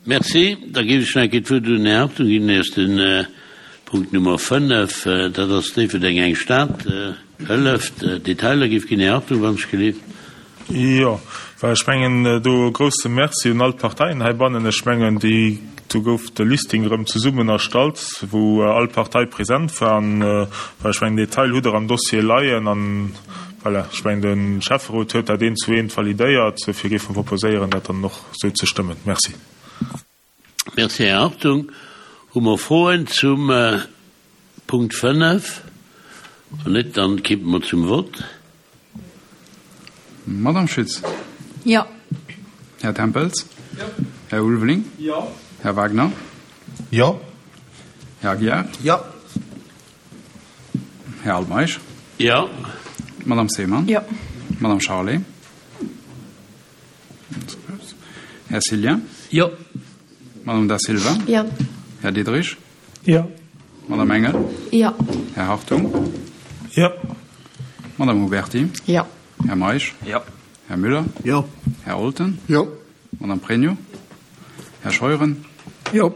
Merci. Da géif ech nach eng Kéier d'Wuert un den Här Hartung ginn. Ier den Punkt Nummer 5, dat ass Déifferdeng, eng Stad hëlleft, Detailer géif ginn. Här Hartung, wann ech gelift. Jo, well ech mengen, do e grouse Merci un all d'Parteien heibannen. Ech mengen, déi, do gouf de Listing erëm zesummen erstallt, wou all Partei present war. An, well ech mengen, Detail hutt Der am Dossier leien. An voilà, ech mengen, de Schäfferot huet dat eent zu eent validéiert. Dofir géife mer proposéieren, dat dann och esou ze stëmmen. Merci. Merci, Här Hartung. Hu mer Froen zum Punkt 5? Wann net, dann kippe mer zum Vott. Madame Schütz? Jo. Här Tempels? Jo. Här Ulveling? Jo. Här Wagner? Jo. Här Aguiar? Jo. Här Altmeisch? Jo. Madame Seemann? Jo. Madame Charlé? Här Cillien? Jo. Madame Da Silva? Jo. Här Diderich? Jo. Madame Engel? Jo. Här Hartung? Jo. Madame Huberty? Jo. Här Meisch? Jo. Här Müller? Jo. Här Olten? Jo. Madame Pregno? Här Scheuren? Jo.